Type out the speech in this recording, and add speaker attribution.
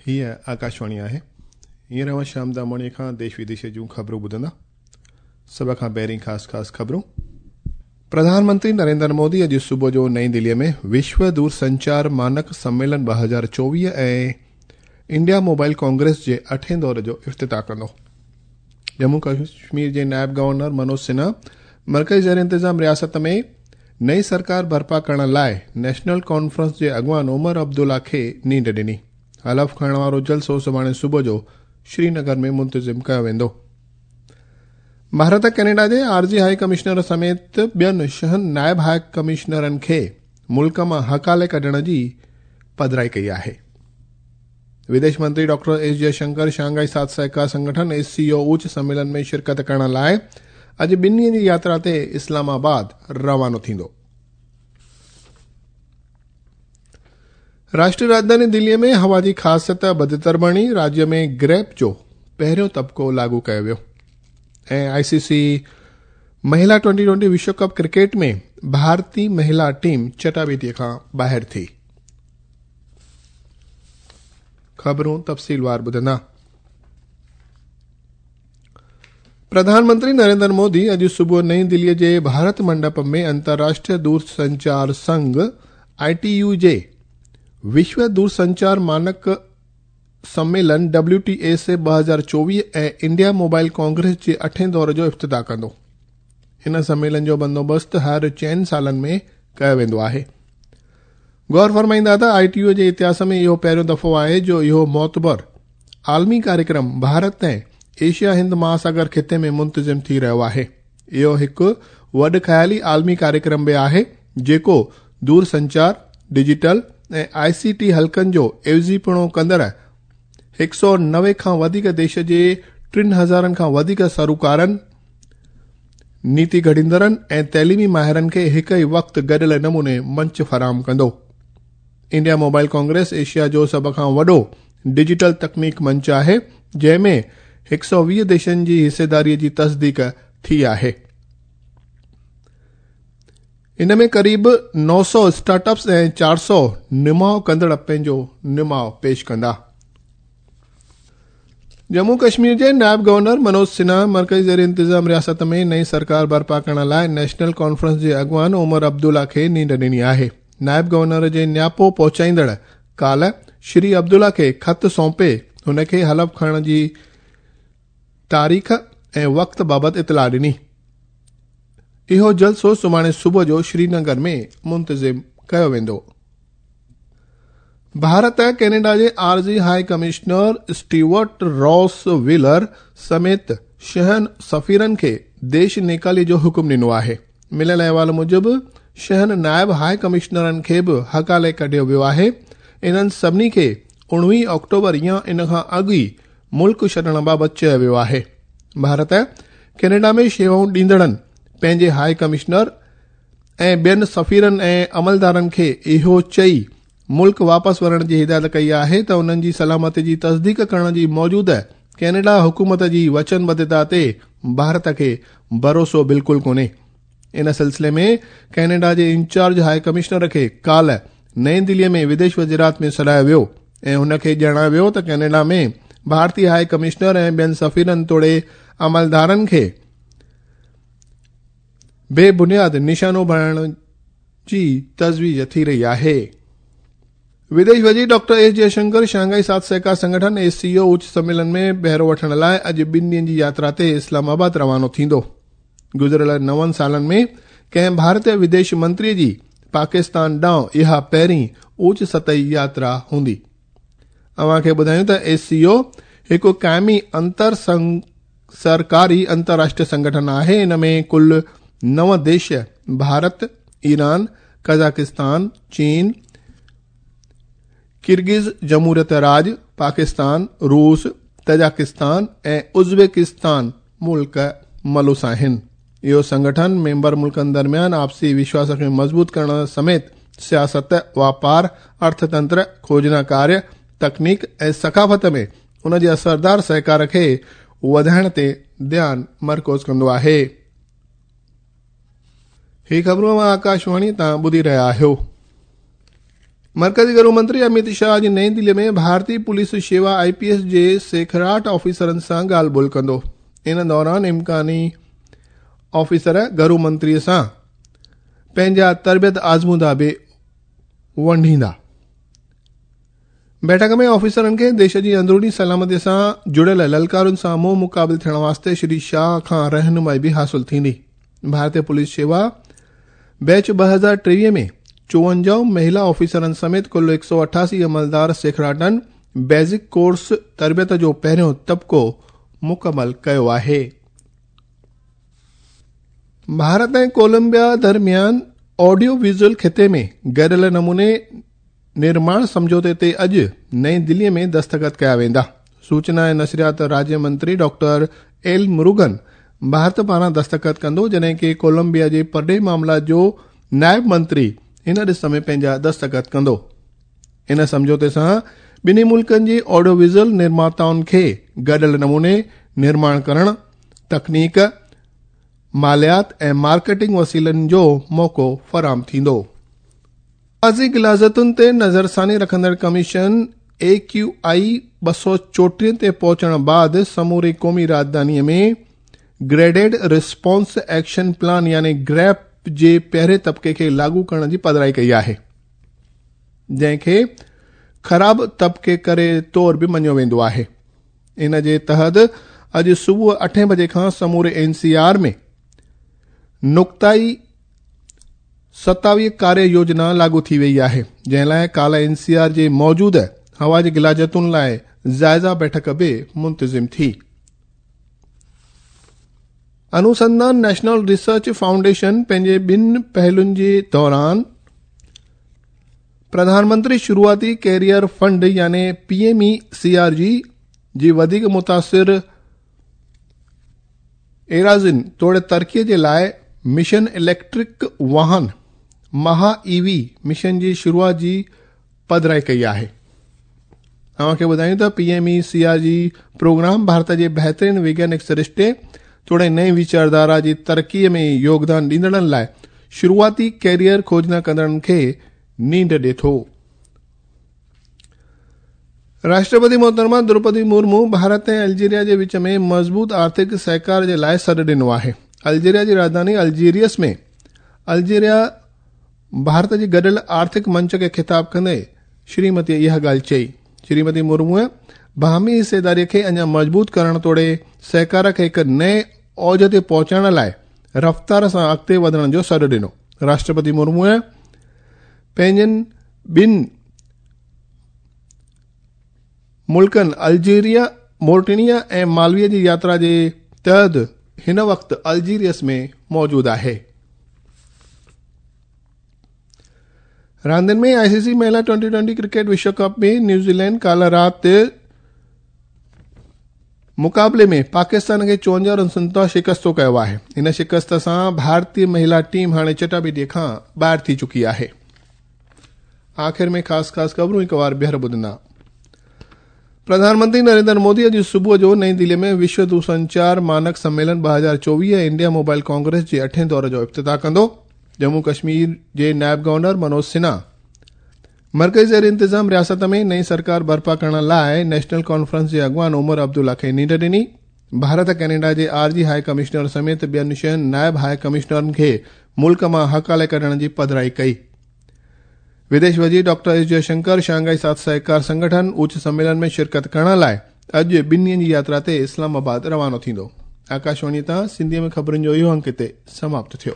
Speaker 1: هيء آڪاشواڻي آهي. هينئر اوهان شيام داماڻيء کان ديش وديش جون خبرون ٻڌندا. سڀ کان پهرين خاص خاص خبرون. پرڌان منتري نريندر مودي اڄ صبح جو نئين دهليء ۾ وشو دورسنچار مانڪ سميلن 2024 ۽ انڊيا موبائل ڪانگريس جي اٺين دور جو افتتاح ڪندو. ڄمون ڪشمير جي نائب گورنر منوج سنها مرڪزي زير انتظام رياست ۾ نئين سرڪار برپا ڪرڻ لاء نيشنل ڪانفرنس جي اڳواڻ عمر عبدالله کي نينڍ ڏني. حلف کڻڻ وارو جلسو سڀاڻي صبح جو شرينگر ۾ منتظم ڪيو ويندو. ڀارت ڪينيڊا جي عارضي هائي ڪمشنر سميت ٻين ڇهن نائب هائي ڪمشنرن کي ملڪ مان هڪالي ڪڍڻ جي پڌرائي ڪئي آهي. وديش منتري ڊاڪٽر ايس جئشنڪر شانگهائي ساٿ سهڪار سنگٺن، ايس سي او، اوچ سميلن ۾ شرڪت ڪرڻ لاء اڄ ٻن ڏينهن جي ياترا تي اسلام آباد روانو ٿيندو. راشٽري راڄڌاني دلي ۾ هوا جي خاصيت بدتر بڻي، راجيه ۾ گريپ جو پهريون طبقو لاڳو ڪيو ويو ۽ آء سي سي مهلا ٽوئنٽي ٽوئنٽي وشو ڪپ ڪرڪيٽ ۾ ڀارتي مهلا ٽيم چٽاڀيٽي کان ٻاهر ٿي. خبرون تفصيلوار ٻڌندا. پرڌان منتري نريندر مودي اڄ صبح نئين دهلي جي ڀارت منڊپ ۾ انترراشٽريه دورسنچار سنگهه، آء ٽي يو، جي وشو دورسنچار مانڪ سميلن، ڊبليو ٽي اي سي، 2024 ۽ انڊيا موبائل ڪانگريس جي اٺين دور جو افتتاح ڪندو. ان سميلن جو بندوبست هر چئن سالن ۾ ڪيو ويندو آهي. غور فرمائيندا ته آء ٽي يو جي اتهاس ۾ اهو پهريون دفعو آهي جو اهو معتبر عالمي ڪاريڪرم ڀارت ۽ ايشيا هند مهاساگر خطي ۾ منتظم ٿي رهيو آهي. اهو هڪ وڏ خيالي عالمي ڪاريڪرم به آهي جيڪو دور سنچار، ڊجيٽل ۽ آء سي ٽي حلقن جو عيوضيپڻو ڪندڙ 190 کان وڌيڪ ديش جي ٽن هزارن کان وڌيڪ سروڪارن، نيتي گهڙيندڙن ۽ تعليمي ماهرن کي هڪ ئي وقت گڏيل نموني منچ فراهم ڪندو. انڊيا موبائل ڪانگريس ايشيا جو سڀ کان وڏو ڊجيٽل تڪنيڪ منچ آهي، جنهن ۾ 120 ديشن جي حصيداري جي تصديق ٿي آهي. ان ۾ قريب 900 اسٽارٽ اپس ۽ 400 نماء ڪندڙ پنهنجو نماء پيش ڪندا. ڄمون ڪشمير جي نائب گورنر منوج سنها مرڪزي زير انتظام رياست ۾ نئين سرڪار برپا ڪرڻ لاء نيشنل ڪانفرنس جي اڳواڻ عمر عبدالله کي نينڍ ڏني آهي. نائب گورنر جي نياپو پهچائيندڙ ڪالهه شري عبدالله کي خط سونپي هن کي حلف کڻڻ جي تاريخ ۽ وقت بابت اطلاع ڏني. اهو جلسو سڀاڻي صبح جو شرينگر ۾ منتظم ڪيو ويندو. ڀارت ڪينيڊا جي عارضي high commissioner Stuart Ross Wheeler سميت ڇهن سفيرن کي ديش نيڪالي جو حڪم ڏنو آهي. مليل احوال موجب ڇهن نائب هاء ڪمشنرن کي به هڪالي ڪڍيو ويو آهي. انهن سڀني کي 19 آڪٽوبر يا ان کان اڳ ئي ملڪ ڇڏڻ بابت چيو ويو آهي. ڀارت ڪينيڊا ۾ شيوائون ڏيندڙن پنهنجي هاء ڪمشنر ۽ ٻين سفيرن ۽ عملدارن کي اهو چئي ملڪ واپس ورڻ جي هدايت ڪئي آهي ته انهن جي سلامتي جي تصديق ڪرڻ جي موجوده ڪينيڊا حڪومت جي وچنبڌتا تي ڀارت کي ڀروسو بلڪل ڪونهي. ان سلسلي ۾ ڪينيڊا جي انچارج هاء ڪمشنر کي ڪالهه نئين دهلي ۾ وديش وزارت ۾ سڏايو ويو ۽ هن کي ڄاڻايو ويو ته ڪينيڊا ۾ ڀارتي هاء ڪمشنر ۽ ٻين سفيرن توڙي عملدارن کي بي بنياد نشانو بڻائڻ جي تجويز ٿي رهي آهي. وديش وزير ڊاڪٽر ايس جئشنڪر شانگهائي ساٿ سهڪار سنگٺن، ايس سي او، اچ سميلن ۾ بهرو وٺڻ لاء اڄ ٻن ڏينهن جي ياترا تي اسلام آباد روانو ٿيندو. گذريل نون سالن ۾ ڪنهن ڀارتي وديش منتري جي پاڪستان ڏانهن اها پهرين اوچ سطحي ياترا هوندي. اوهان کي ٻڌايون ته ايس سي او هڪ قائمي انتر سرڪاري انترراشٽريه سنگٺن آهي. ان ۾ ڪل نو ديش ڀارت، ايران، قزاقستان، چين، ڪرغز جمهوريت راڄ، پاڪستان، روس، تجاڪستان ۽ ازبڪستان ملڪ ملوث آهن. اهو سنگٺن ميمبر ملڪن درميان آپسي وشواس کي مضبوط ڪرڻ سميت سياست، واپار، ارٿتنتر، کوجنا ڪاريه، تڪنيڪ ۽ ثقافت ۾ ان جي اثردار سهڪار کي وڌائڻ تي ڌيان مرڪوز ڪندو آهي. هي خبرون اوهان آڪاشواڻي تان ٻڌي رهيا آهيو. مرڪزي گهرو منتري اميت شاهه اڄ نئين دهلي ۾ ڀارتي پوليس شيوا آء پي ايس جي سيکڙاٽ آفيسرن سان ڳالهه ٻولهه ڪندو. ان دوران امڪاني آفيسر گهرو منتري سان پنهنجا تربيت آزمودا به ونڊيندا. بيٺڪ ۾ آفيسرن کي ديش جي اندروني سلامتي سان جڙيل للڪارن سان منهن مقابل ٿيڻ واسطي شري شاهه کان رهنمائي به حاصل ٿيندي. ڀارتي پوليس شيوا بيچ 2023 ۾ 54 مهلا آفيسرن سميت ڪل 188 عملدار سيکڙاٽن بيسڪ ڪورس تربيت جو پهريون طبقو مڪمل ڪيو آهي. ڀارت ۽ ڪولمبيا درميان آڊيو ويزوئل خطي ۾ گڏيل نموني نرماڻ سمجهوتي تي اڄ نئين دهلي ۾ دستخط ڪيا ويندا. سوچنا ۽ نشريات راجيه منتري ڊاڪٽر ايل مروگن ڀارت پاران دستخط ڪندو، جڏهن ڪي ڪولمبيا جي پرڏيهي معاملات جو نائب منتري ان ڏس ۾ پنهنجا دستخط ڪندو. ان سمجهوتي سان ٻنهي ملڪن جي آڊيو ويزوئل نرماتائن کي گڏيل نموني نرماڻ ڪرڻ، تڪنيڪ، ماليات ۽ مارڪيٽنگ وسيلن جو موقعو فراهم ٿيندو. آزي غلاظتن تي نظرثاني رکندڙ ڪميشن اي ڪيو آء 234 تي پهچڻ بعد سموري قومي راڄڌاني ۾ گريڊيڊ رسپانس ايڪشن پلان يعني گريپ جي پهرين طبقي کي لاڳو ڪرڻ جي پڌرائي ڪئي آهي، جنهن کي خراب طبقي ڪري طور به مڃيو ويندو آهي. ان جي تحت اڄ صبح 8 بجي کان سموري اين سي آر ۾ نقطائي 27 ڪاريه يوجنا لاڳو ٿي وئي آهي، جنهن لاء ڪالهه اين سي آر جي موجوده هوا جي غلاظتن لاء جائزه بيٺڪ به منتظم ٿي. انوسنڌان نيشنل ريسرچ فائونڊيشن پنهنجي ٻن پهلن جي دوران پرڌان منتري شروعاتي ڪيريئر فنڊ يعني P M E C R G جي وڌيڪ متاثر ايراضين توڙي ترقي جي لاء مشن اليڪٽرڪ واهن مها اي وي مشن جي شروعات جي پڌرائي ڪئي آهي. اوهان کي ٻڌايون ته P M E C R G programme Bharat جي بهترين وگيانڪ سرشتي توڙي نئين ويچارڌارا جي ترقي ۾ يوگدان ڏيندڙن لاء شروعاتي ڪيريئر کوجنا ڪندڙن کي نينڍ ڏي ٿو. راشٽرپتي محترمه دروپدي مرمو ڀارت ۽ الجيريا جي وچ ۾ مضبوط آرٿڪ سهڪار جي لاء سڏ ڏنو آهي. الجيريا جي راڄڌاني الجيريس ۾ الجيريا ڀارت جي گڏيل آرٿڪ منچ کي خطاب ڪندي شريمتي اها ڳالهه چئي. شريمتي مرموء باهمي حصيداري کي اڃا مضبوط ڪرڻ توڙي سهڪار کي هڪ نئين اوج تي پهچائڻ لاء رفتار سان اڳتي وڌڻ جو سڏ ڏنو. راشٽرپتي مرموء پنهنجن ٻن ملڪن الجيريا، مورٽينيا ۽ مالوي جي ياترا جي تحت هن وقت الجيريس ۾ موجود آهي. راندين ۾ آء سي سي مهلا ٽوئنٽي ٽوئنٽي ڪرڪيٽ وشو ڪپ ۾ نيوزيلينڊ ڪالهه رات مقابلي ۾ پاڪستان کي 54 رنسن تان شڪستو ڪيو آهي. ان شڪست سان ڀارتي مهلا ٽيم هاڻي چٽاڀيٽي کان ٻاهر ٿي چڪي آهي. آخر ۾ خاص خاص خبرون هڪ وار ٻيهر ٻڌندا. پرڌان منتري نريندر مودي اڄ صبح جو نئين دهلي ۾ وشو دورسنچار مانڪ سميلن 2024 ۽ انڊيا موبائل ڪانگريس جي اٺين دور جو افتتاح ڪندو. ڄمون ڪشمير جي نائب گورنر منوج سنها مرڪزي زير انتظام رياست ۾ نئين سرڪار برپا ڪرڻ لاء نيشنل ڪانفرنس جي اڳواڻ عمر عبدالله کي نينڍ ڏني. ڀارت ڪئناڊا جي عارضي هاء ڪمشنر سميت ٻين ڇهن نائب هاء ڪمشنرن کي ملڪ مان هڪالي ڪڍڻ جي پڌرائي ڪئي. وديش وزير ڊاڪٽر ايس جئه شنڪر شانگهائي ساٿ سهڪار سنگٺن اوچ سميلن ۾ شرڪت ڪرڻ لاء اڄ ٻن ڏينهن جي ياترا تي اسلام آباد روانو ٿيندو. آڪاشواڻي تان سنڌيء ۾ خبرن جو اهو انڪ هتي سماپت ٿيو.